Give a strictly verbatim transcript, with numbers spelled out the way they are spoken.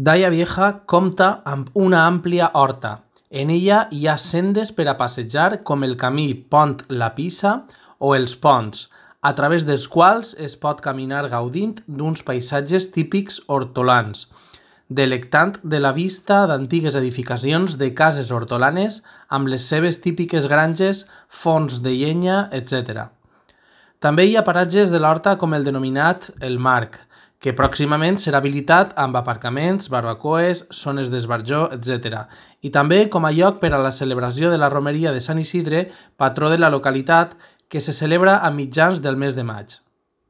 Daia Vieja compta amb una àmplia horta. En ella hi ha sendes per a passejar com el camí Pont la Pissa o els ponts, a través dels quals es pot caminar gaudint d'uns paisatges típics hortolans, delectant de la vista d'antigues edificacions de cases hortolanes amb les seves típiques granges, forns de llenya, etcètera. També hi ha paratges de l'horta com el denominat El Marc, que pròximament serà habilitat amb aparcaments, barbacoes, zones d'esbarjó, etcètera. I també com a lloc per a la celebració de la romeria de Sant Isidre, patró de la localitat, que se celebra a mitjans del mes de maig.